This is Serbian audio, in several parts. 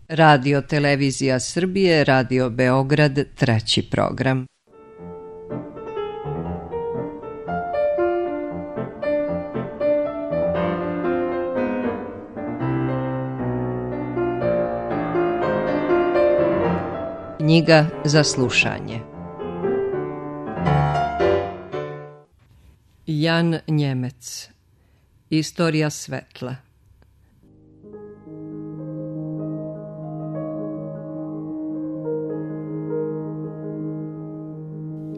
Radio Televizija Srbije, Radio Beograd, treći program. Knjiga za slušanje. Jan Njemec. Istorija svetla.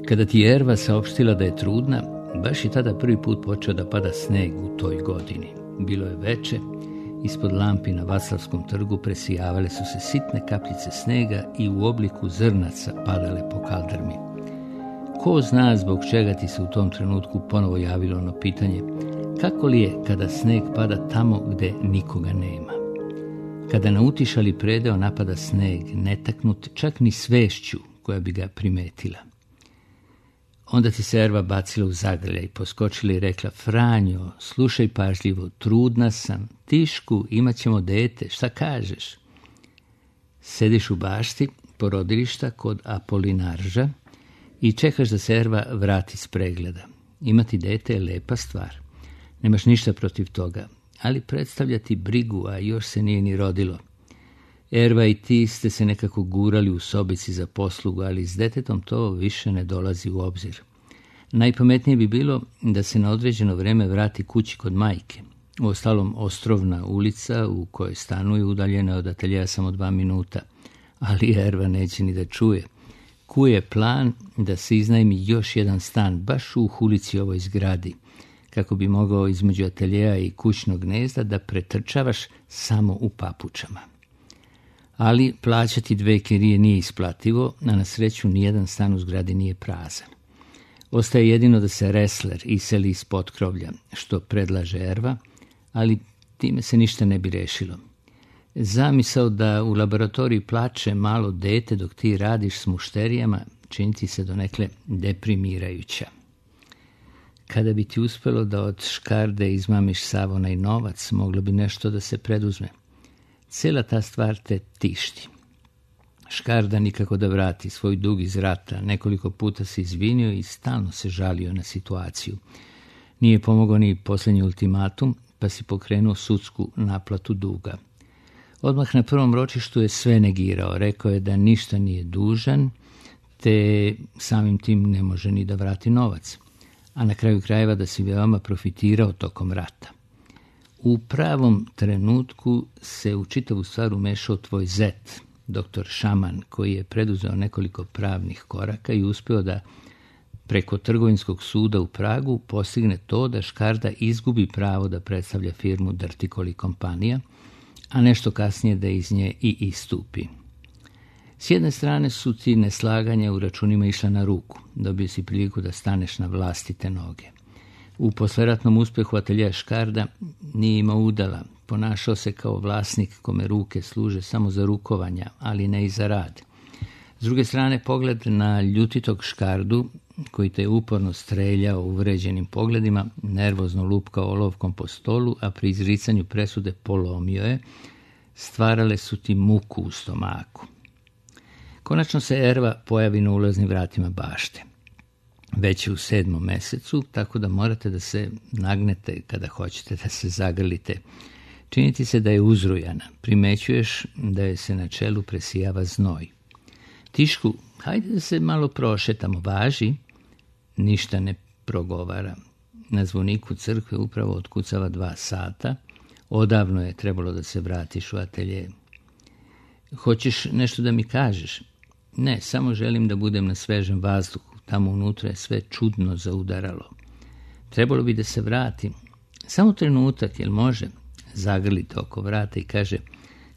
Kada ti je Erva saopštila da je trudna, baš je tada prvi put počeo da pada sneg u toj godini. Bilo je veče, ispod lampi na Vaclavskom trgu presijavale su se sitne kapljice snega i u obliku zrnaca padale po kaldrmi. Ko zna zbog čega ti se u tom trenutku ponovo javilo ono pitanje, kako li je kada sneg pada tamo gde nikoga nema? Kada na utišali predeo napada sneg, netaknut čak ni svešću koja bi ga primetila. Onda ti se Erva bacila u zagrljaj, poskočila i rekla: Franjo, slušaj pažljivo, trudna sam, Tišku, imat ćemo dete, šta kažeš? Sediš u bašti porodilišta kod Apolinarža i čekaš da se Erva vrati s pregleda. Imati dete je lepa stvar, nemaš ništa protiv toga, ali predstavlja ti brigu, a još se nije ni rodilo. Erva i ti ste se nekako gurali u sobici za poslugu, ali s detetom to više ne dolazi u obzir. Najpametnije bi bilo da se na određeno vreme vrati kući kod majke. Uostalom, Ostrovna ulica u kojoj stanuje udaljena od ateljeja samo 2 minuta, ali Erva neće ni da čuje. Kuje plan da se iznajmi još jedan stan baš u ulici ovoj zgradi, kako bi mogao između ateljeja i kućnog gnezda da pretrčavaš samo u papučama. Ali plaćati 2 kirije nije isplativo, a na sreću nijedan stan u zgradi nije prazan. Ostaje jedino da se Resler iseli iz potkrovlja, što predlaže Erva, ali time se ništa ne bi rešilo. Zamisao da u laboratoriji plače malo dete dok ti radiš s mušterijama čini ti se donekle deprimirajuća. Kada bi ti uspelo da od škarde izmamiš sav onaj novac, moglo bi nešto da se preduzme. Cijela ta stvar te tišti. Škarda nikako da vrati svoj dug iz rata, nekoliko puta se izvinio i stalno se žalio na situaciju. Nije pomogao ni posljednji ultimatum, pa si pokrenuo sudsku naplatu duga. Odmah na prvom ročištu je sve negirao, rekao je da ništa nije dužan, te samim tim ne može ni da vrati novac, a na kraju krajeva da si veoma profitirao tokom rata. U pravom trenutku se u čitavu stvar umešao tvoj zet, doktor Šaman, koji je preduzeo nekoliko pravnih koraka i uspeo da preko trgovinskog suda u Pragu postigne to da škarda izgubi pravo da predstavlja firmu Drtikoli kompanija, a nešto kasnije da iz nje i istupi. S jedne strane su ti neslaganja u računima išla na ruku, dobio si priliku da staneš na vlastite noge. U posleratnom uspjehu ateljeja Škarda nije imao udala, ponašao se kao vlasnik kome ruke služe samo za rukovanja, ali ne i za rad. S druge strane, pogled na ljutitog Škardu, koji te je uporno streljao uvređenim pogledima, nervozno lupkao olovkom po stolu, a pri izricanju presude polomio je, stvarale su ti muku u stomaku. Konačno se Erva pojavi na ulaznim vratima bašte. Već je u 7. mesecu, tako da morate da se nagnete kada hoćete da se zagrlite. Činiti se da je uzrujana. Primećuješ da je se na čelu presijava znoj. Tišku, hajde da se malo prošetamo, važi. Ništa ne progovara. Na zvoniku crkve upravo otkucava 2 sata. Odavno je trebalo da se vratiš u atelje. Hoćeš nešto da mi kažeš? Ne, samo želim da budem na svežem vazduhu. Tamo unutra je sve čudno zaudaralo. Trebalo bi da se vratim. Samo trenutak, jel može? Zagrlite oko vrata i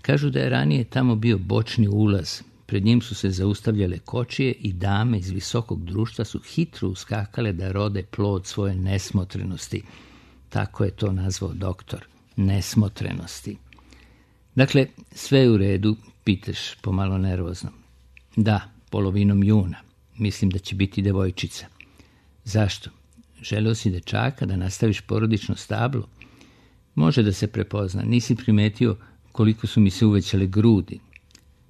kažu da je ranije tamo bio bočni ulaz. Pred njim su se zaustavljale kočije i dame iz visokog društva su hitro uskakale da rode plod svoje nesmotrenosti. Tako je to nazvao doktor. Nesmotrenosti. Dakle, sve je u redu, pitaš pomalo nervozno. Da, polovinom juna. Mislim da će biti devojčica. Zašto? Želeo si dečaka da nastaviš porodično stablo? Može da se prepozna. Nisi primetio koliko su mi se uvećale grudi.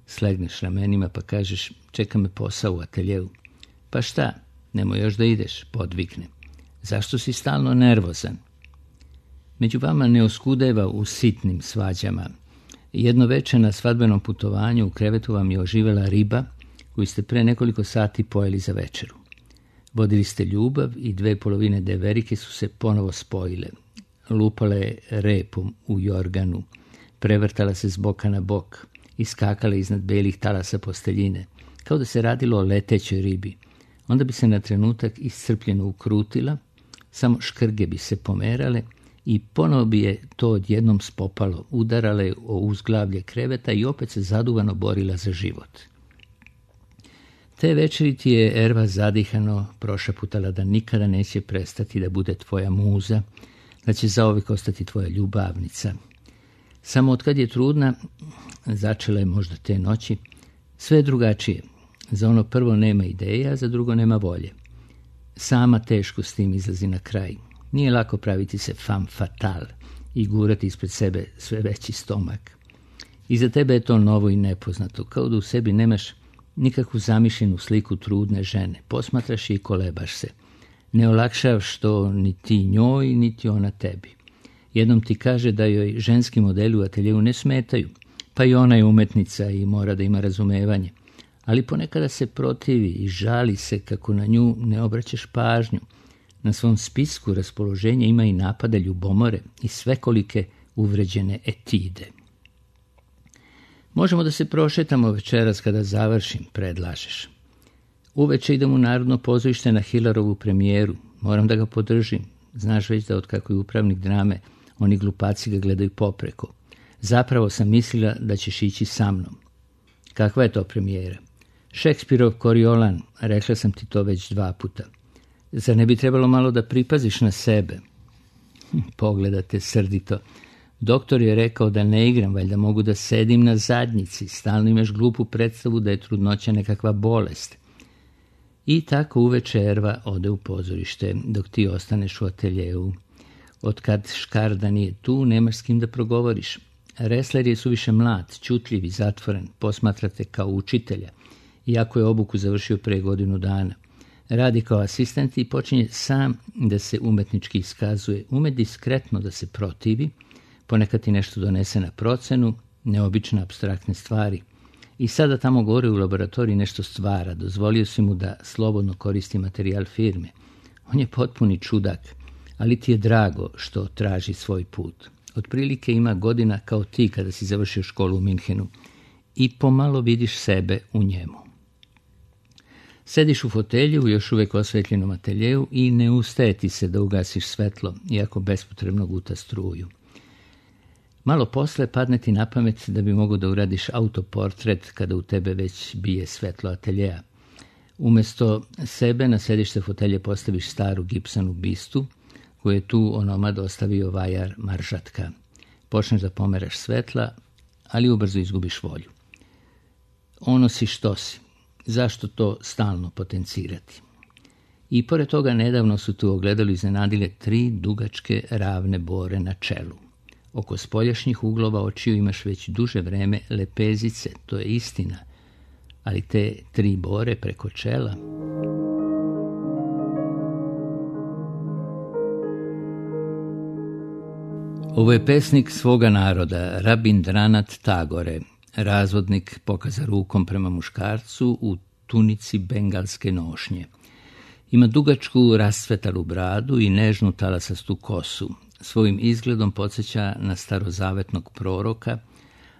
Slegneš ramenima pa kažeš, čeka me posao u ateljeu. Pa šta, nemoj još da ideš, podvikne. Zašto si stalno nervozan? Među vama ne oskudeva u sitnim svađama. Jedno večer na svadbenom putovanju u krevetu vam je oživela riba koju ste pre nekoliko sati pojeli za večeru. Vodili ste ljubav i 2/2 deverike su se ponovo spojile. Lupala je repom u jorganu, prevrtala se s boka na bok, iskakala iznad belih talasa posteljine, kao da se radilo o letećoj ribi. Onda bi se na trenutak iscrpljeno ukrutila, samo škrge bi se pomerale i ponovo bi je to odjednom spopalo, udarale o uzglavlje kreveta i opet se zaduvano borila za život. Te večeri ti je Erva zadihano prošaputala da nikada neće prestati da bude tvoja muza, da će zauvijek ostati tvoja ljubavnica. Samo otkad je trudna, začela je možda te noći, sve je drugačije. Za ono prvo nema ideja, a za drugo nema volje. Sama teško s tim izlazi na kraj. Nije lako praviti se femme fatale i gurati ispred sebe sve veći stomak. I za tebe je to novo i nepoznato, kao da u sebi nemaš nikakvu zamišljenu sliku trudne žene. Posmatraš je i kolebaš se. Ne olakšavaš to ni ti njoj, niti ona tebi. Jednom ti kaže da joj ženski modeli u ateljevu ne smetaju, pa i ona je umetnica i mora da ima razumevanje. Ali ponekada se protivi i žali se kako na nju ne obraćaš pažnju. Na svom spisku raspoloženja ima i napade ljubomore i svekolike uvređene etide. Možemo da se prošetamo večeras kada završim, predlažeš. Uveče idem u Narodno pozorište na Hilarovu premijeru. Moram da ga podržim. Znaš već da otkako je upravnik drame, oni glupaci ga gledaju popreko. Zapravo sam mislila da ćeš ići sa mnom. Kakva je to premijera? Šekspirov Koriolan, rekla sam ti to već 2 puta. Zar ne bi trebalo malo da pripaziš na sebe? Pogledate srdito. Doktor je rekao da ne igram, valjda mogu da sedim na zadnjici. Stalno imaš glupu predstavu da je trudnoća nekakva bolest. I tako uveče Erva ode u pozorište, dok ti ostaneš u ateljeu. Otkad Škarda nije tu, nemaš s kim da progovoriš. Resler je suviše mlad, ćutljiv i zatvoren, posmatrate kao učitelja, iako je obuku završio pre 1 godinu dana. Radi kao asistent i počinje sam da se umetnički iskazuje, ume diskretno da se protivi, ponekad ti nešto donese na procenu, neobične apstraktne stvari. I sada tamo gore u laboratoriji nešto stvara, dozvolio si mu da slobodno koristi materijal firme. On je potpuni čudak, ali ti je drago što traži svoj put. Otprilike ima godina kao ti kada si završio školu u Minhenu i pomalo vidiš sebe u njemu. Sediš u fotelju u još uvijek osvetljenom ateljevu i ne ustaje ti se da ugasiš svetlo, iako bespotrebno guta struju. Malo posle padne ti na pamet da bi mogao da uradiš autoportret kada u tebe već bije svetlo ateljeja. Umesto sebe na sedište fotelje postaviš staru gipsanu bistu, koju je tu onomad ostavio vajar Maržatka. Počneš da pomeraš svetla, ali ubrzo izgubiš volju. Ono si što si. Zašto to stalno potencirati? I pored toga nedavno su tu ogledalo iznenadile 3 dugačke ravne bore na čelu. Oko spoljašnjih uglova očiju imaš već duže vreme lepezice, to je istina, ali te 3 bore preko čela... Ovo je pesnik svoga naroda, Rabindranat Tagore, razvodnik pokaza rukom prema muškarcu u tunici bengalske nošnje. Ima dugačku rastvetalu bradu i nežnu talasastu kosu. Svojim izgledom podsjeća na starozavetnog proroka,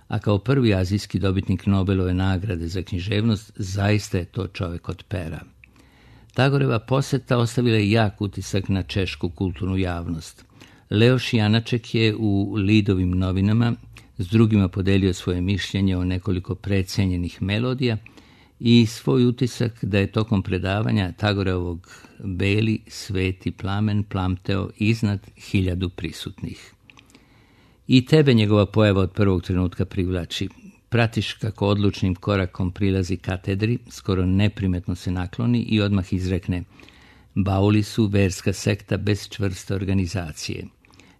a kao prvi azijski dobitnik Nobelove nagrade za književnost zaista je to čovjek od pera. Tagoreva poseta ostavila je jak utisak na češku kulturnu javnost. Leoš Janaček je u Lidovim novinama s drugima podelio svoje mišljenje o nekoliko precenjenih melodija i svoj utisak da je tokom predavanja Tagoreovog beli sveti plamen plamteo iznad 1000 prisutnih. I tebe njegova pojava od prvog trenutka privlači. Pratiš kako odlučnim korakom prilazi katedri, skoro neprimetno se nakloni i odmah izrekne: Bauli su verska sekta bez čvrste organizacije.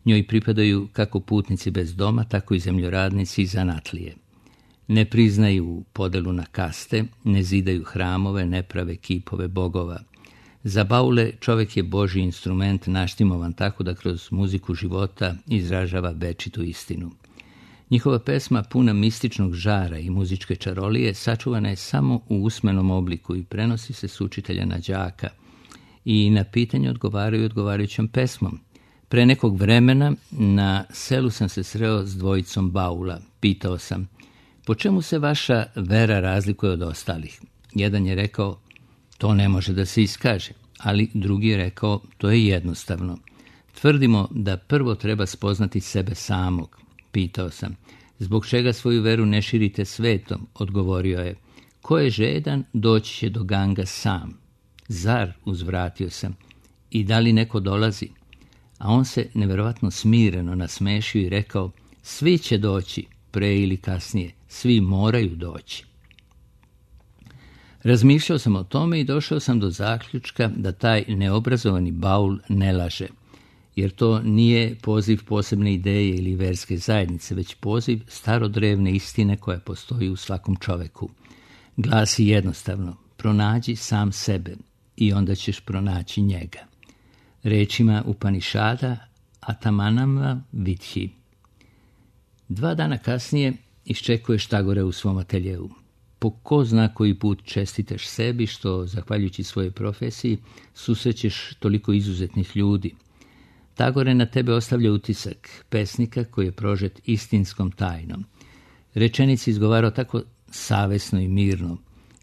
Njoj pripadaju kako putnici bez doma, tako i zemljoradnici i zanatlije. Ne priznaju podelu na kaste, ne zidaju hramove, ne prave kipove bogova. Za Baule čovjek je Božji instrument naštimovan tako da kroz muziku života izražava večitu istinu. Njihova pesma, puna mističnog žara i muzičke čarolije, sačuvana je samo u usmenom obliku i prenosi se s učitelja na đaka. I na pitanje odgovaraju odgovarajućom pesmom. Pre nekog vremena na selu sam se sreo s dvojicom Baula. Pitao sam, po čemu se vaša vera razlikuje od ostalih? Jedan je rekao, to ne može da se iskaže, ali drugi je rekao, to je jednostavno. Tvrdimo da prvo treba spoznati sebe samog. Pitao sam, zbog čega svoju veru ne širite svetom? Odgovorio je, ko je žedan, doći će do Ganga sam. Zar, uzvratio sam, i da li neko dolazi? A on se neverovatno smireno nasmešio i rekao, svi će doći, pre ili kasnije, svi moraju doći. Razmišljao sam o tome i došao sam do zaključka da taj neobrazovani Baul ne laže, jer to nije poziv posebne ideje ili verske zajednice, već poziv starodrevne istine koja postoji u svakom čoveku. Glasi jednostavno, pronađi sam sebe i onda ćeš pronaći njega. Rečima Upanišada Atamanama Vidhi. 2 dana kasnije iščekuješ Tagore u svom ateljeu. Po ko zna koji put čestitaš sebi što, zahvaljujući svojoj profesiji, susrećeš toliko izuzetnih ljudi. Tagore na tebe ostavlja utisak pesnika koji je prožet istinskom tajnom. Rečenici izgovarao tako savesno i mirno,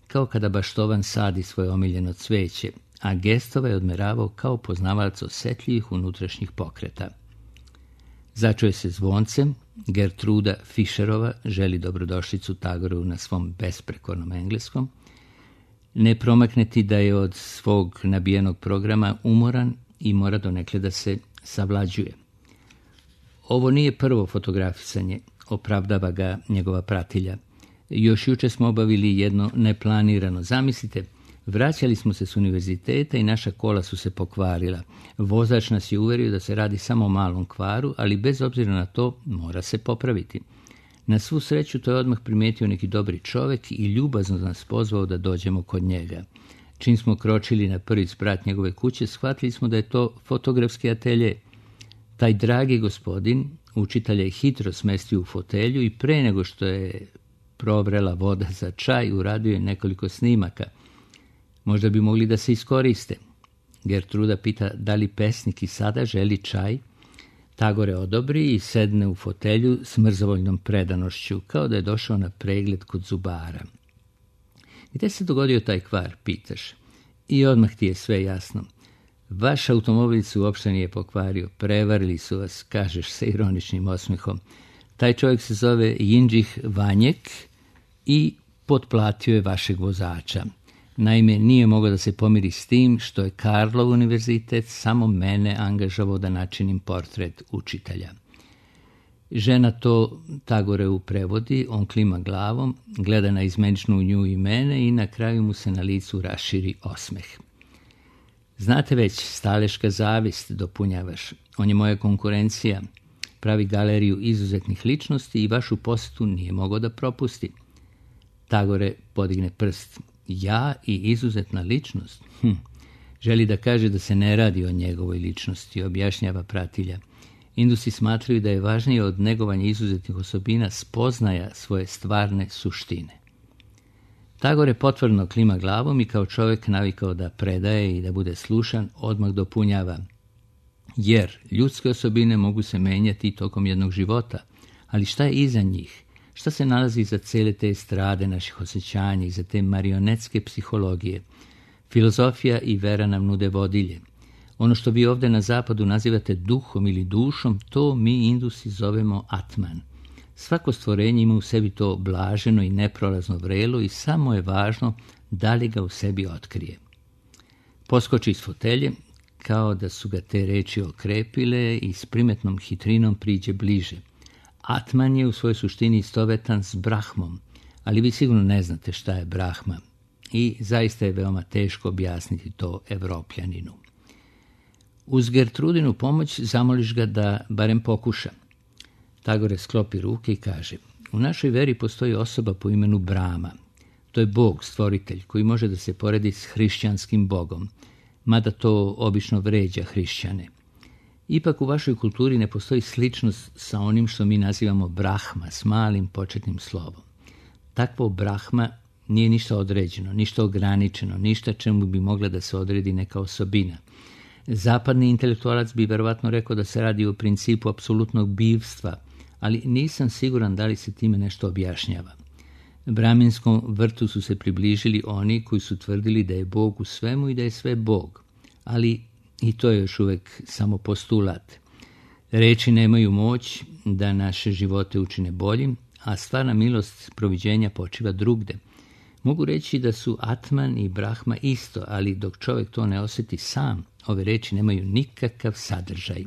kao kada baštovan sadi svoje omiljeno cveće, a gestove je odmeravao kao poznavalac osjetljivih unutrašnjih pokreta. Začuje se zvoncem, Gertruda Fischerova želi dobrodošlicu Tagoru na svom besprekornom engleskom. Ne promakne ti da je od svog nabijenog programa umoran i mora donekle da se savlađuje. Ovo nije prvo fotografisanje, opravdava ga njegova pratilja. Još juče smo obavili jedno neplanirano. Zamislite, vraćali smo se s univerziteta i naša kola su se pokvarila. Vozač nas je uverio da se radi samo o malom kvaru, ali bez obzira na to mora se popraviti. Na svu sreću to je odmah primijetio neki dobri čovjek i ljubazno nas pozvao da dođemo kod njega. Čim smo kročili na prvi sprat njegove kuće, shvatili smo da je to fotografski atelje. Taj dragi gospodin, učitelj je hitro smestio u fotelju i pre nego što je provrela voda za čaj, uradio je nekoliko snimaka. Možda bi mogli da se iskoriste. Gertruda pita da li pesnik i sada želi čaj. Tagore odobri i sedne u fotelju s mrzovoljnom predanošću, kao da je došao na pregled kod zubara. Gde se dogodio taj kvar, pitaš? I odmah ti je sve jasno. Vaš automobil se uopšte nije pokvario, prevarili su vas, kažeš sa ironičnim osmehom. Taj čovjek se zove Jindžih Vanjek i potplatio je vašeg vozača. Naime, nije mogao da se pomiri s tim što je Karlov univerzitet samo mene angažavao da načinim portret učitelja. Žena to Tagoreu prevodi, on klima glavom, gleda na izmeničnu nju i mene i na kraju mu se na licu raširi osmeh. Znate već, staleška zavist, dopunjavaš. On je moja konkurencija, pravi galeriju izuzetnih ličnosti i vašu posjetu nije mogao da propusti. Tagore podigne prst. Ja i izuzetna ličnost? Želi da kaže da se ne radi o njegovoj ličnosti, objašnjava pratilja. Indusi smatraju da je važnije od negovanja izuzetnih osobina spoznaja svoje stvarne suštine. Tagore potvrdno klima glavom i kao čovjek navikao da predaje i da bude slušan, odmah dopunjava. Jer ljudske osobine mogu se menjati tokom jednog života, ali šta je iza njih? Šta se nalazi iza cele te estrade naših osjećanja, iza te marionetske psihologije? Filozofija i vera nam nude vodilje. Ono što vi ovdje na zapadu nazivate duhom ili dušom, to mi Indusi zovemo Atman. Svako stvorenje ima u sebi to blaženo i neprolazno vrelo i samo je važno da li ga u sebi otkrije. Poskoči iz fotelje, kao da su ga te reči okrepile i s primetnom hitrinom priđe bliže. Atman je u svojoj suštini istovetan s Brahmom, ali vi sigurno ne znate šta je Brahma i zaista je veoma teško objasniti to Evropljaninu. Uz Gertrudinu pomoć zamoliš ga da barem pokuša. Tagore sklopi ruke i kaže, U našoj veri postoji osoba po imenu Brahma. To je Bog, stvoritelj, koji može da se poredi s hrišćanskim Bogom, mada to obično vređa hrišćane. Ipak u vašoj kulturi ne postoji sličnost sa onim što mi nazivamo Brahma, s malim početnim slovom. Takvo Brahma nije ništa određeno, ništa ograničeno, ništa čemu bi mogla da se odredi neka osobina. Zapadni intelektualac bi verovatno rekao da se radi o principu apsolutnog bivstva, ali nisam siguran da li se time nešto objašnjava. Brahminskom vrtu su se približili oni koji su tvrdili da je Bog u svemu i da je sve Bog, ali i to je još uvijek samo postulat. Reči nemaju moć da naše živote učine boljim, a stvarna milost proviđenja počiva drugde. Mogu reći da su Atman i Brahma isto, ali dok čovjek to ne osjeti sam, ove reči nemaju nikakav sadržaj.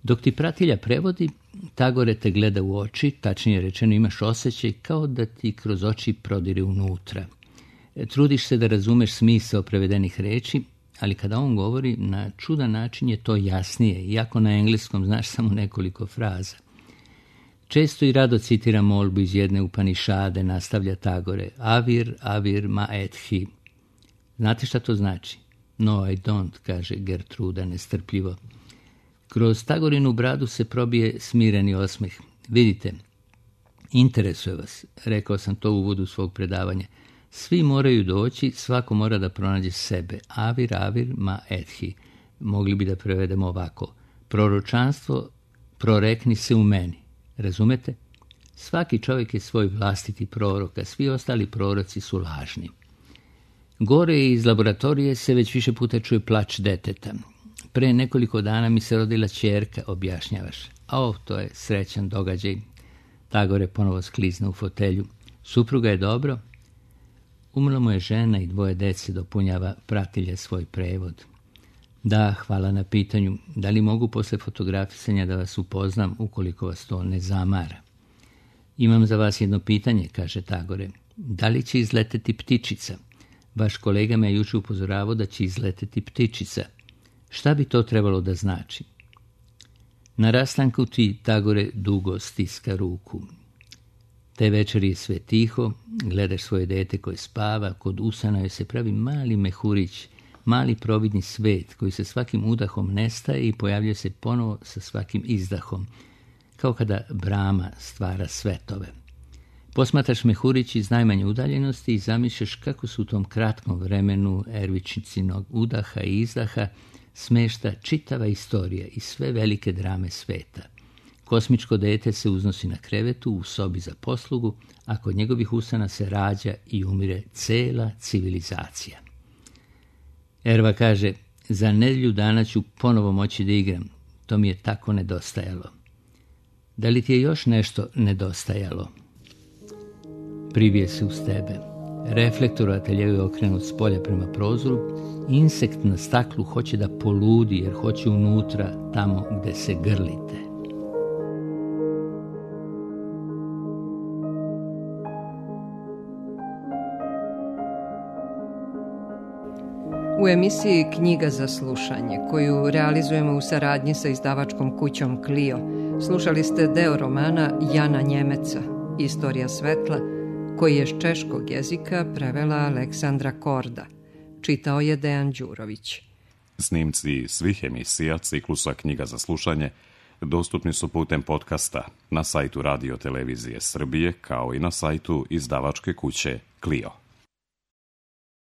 Dok ti pratilja prevodi, Tagore te gleda u oči, tačnije rečeno imaš osjećaj kao da ti kroz oči prodire unutra. Trudiš se da razumeš smisao prevedenih reči, ali kada on govori, na čudan način je to jasnije, iako na engleskom znaš samo nekoliko fraza. Često i rado citira molbu iz jedne Upanišade, nastavlja Tagore, Avir, avir ma ethi. Znate šta to znači? No, I don't, kaže Gertruda nestrpljivo. Kroz Tagorinu bradu se probije smireni osmeh. Vidite, interesuje vas, rekao sam to u uvodu svog predavanja. Svi moraju doći, svako mora da pronađe sebe. Avir, avir ma ethi. Mogli bi da prevedemo ovako. Proročanstvo prorekni se u meni. Razumete? Svaki čovjek je svoj vlastiti prorok, a svi ostali proroci su lažni. Gore iz laboratorije se već više puta čuje plač deteta. Pre nekoliko dana mi se rodila ćerka, objašnjavaš. To je srećan događaj. Tagore ponovo sklizna u fotelju. Supruga je dobro? Umrla mu je žena i 2 dece, dopunjava pratilja svoj prevod. Da, hvala na pitanju. Da li mogu posle fotografisanja da vas upoznam ukoliko vas to ne zamara? Imam za vas jedno pitanje, kaže Tagore. Da li će izleteti ptičica? Vaš kolega me juče upozoravao da će izleteti ptičica. Šta bi to trebalo da znači? Na rastanku ti Tagore dugo stiska ruku. Te večeri je sve tiho, gledaš svoje dete koje spava, kod usana joj se pravi mali mehurić, mali providni svet koji se svakim udahom nestaje i pojavljuje se ponovo sa svakim izdahom, kao kada Brahma stvara svetove. Posmatraš mehurić iz najmanje udaljenosti i zamišljaš kako su u tom kratkom vremenu Ervičicinog udaha i izdaha smešta čitava istorija i sve velike drame sveta. Kosmičko dete se uznosi na krevetu u sobi za poslugu, a kod njegovih usana se rađa i umire cela civilizacija. Erva kaže, za nedjelju dana ću ponovo moći da igram. To mi je tako nedostajalo. Da li ti je još nešto nedostajalo? Privije se uz tebe. Reflektor u ateljeju je okrenut s polja prema prozoru. Insekt na staklu hoće da poludi jer hoće unutra, tamo gde se grlite. U emisiji Knjiga za slušanje, koju realizujemo u saradnji sa izdavačkom kućom Clio, slušali ste deo romana Jana Njemeca, Istorija svetla, koji je s češkog jezika prevela Aleksandra Korda. Čitao je Dejan Đurović. Snimci svih emisija ciklusa Knjiga za slušanje dostupni su putem podcasta na sajtu Radio Televizije Srbije, kao i na sajtu izdavačke kuće Clio.